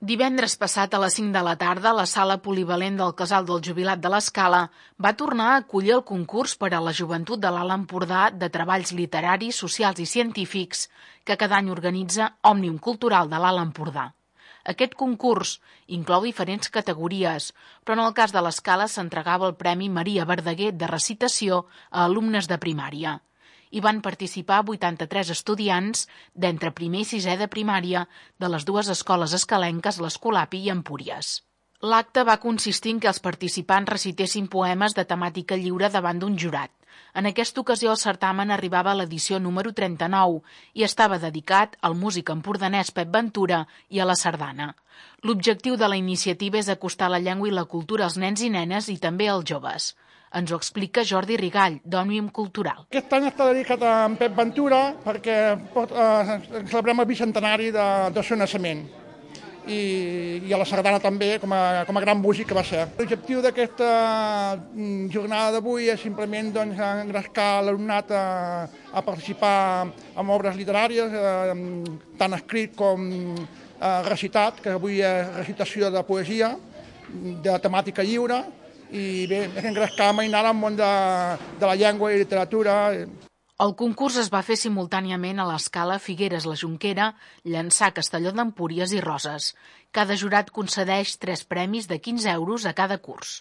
Divendres passat a les 5 de la tarda, la sala polivalent del Casal del Jubilat de l'Escala va tornar a acollir el concurs per a la joventut de l'Alt Empordà de treballs literaris, socials i científics que cada any organitza Òmnium Cultural de l'Alt Empordà. Aquest concurs inclou diferents categories, però en el cas de l'Escala s'entregava el Premi Maria Verdaguer de recitació a alumnes de primària. Hi van participar 83 estudiants d'entre primer i sisè de primària de les dues escoles escalenques, l'Escolapi i Empúries. L'acte va consistir en que els participants recitessin poemes de temàtica lliure davant d'un jurat. En aquesta ocasió el certamen arribava a l'edició número 39 i estava dedicat al músic empordanès Pep Ventura i a la sardana. L'objectiu de la iniciativa és acostar la llengua i la cultura als nens i nenes i també als joves. Ens ho explica Jordi Rigall, d'Òmnium Cultural. Aquest any està dedicat a en Pep Ventura perquè celebrem el bicentenari del seu naixement i a la sardana també com a gran músic que va ser. L'objectiu d'aquesta jornada d'avui és simplement engrescar l'alumnat a participar en obres literàries, tant escrit com recitat, que avui és recitació de poesia, de temàtica lliure, i bé, és engrescar mainar al món de la llengua i literatura. El concurs es va fer simultàniament a l'Escala, Figueres, la Jonquera, Llançà, Castelló d'Empúries i Roses. Cada jurat concedeix 3 premis de 15 euros a cada curs.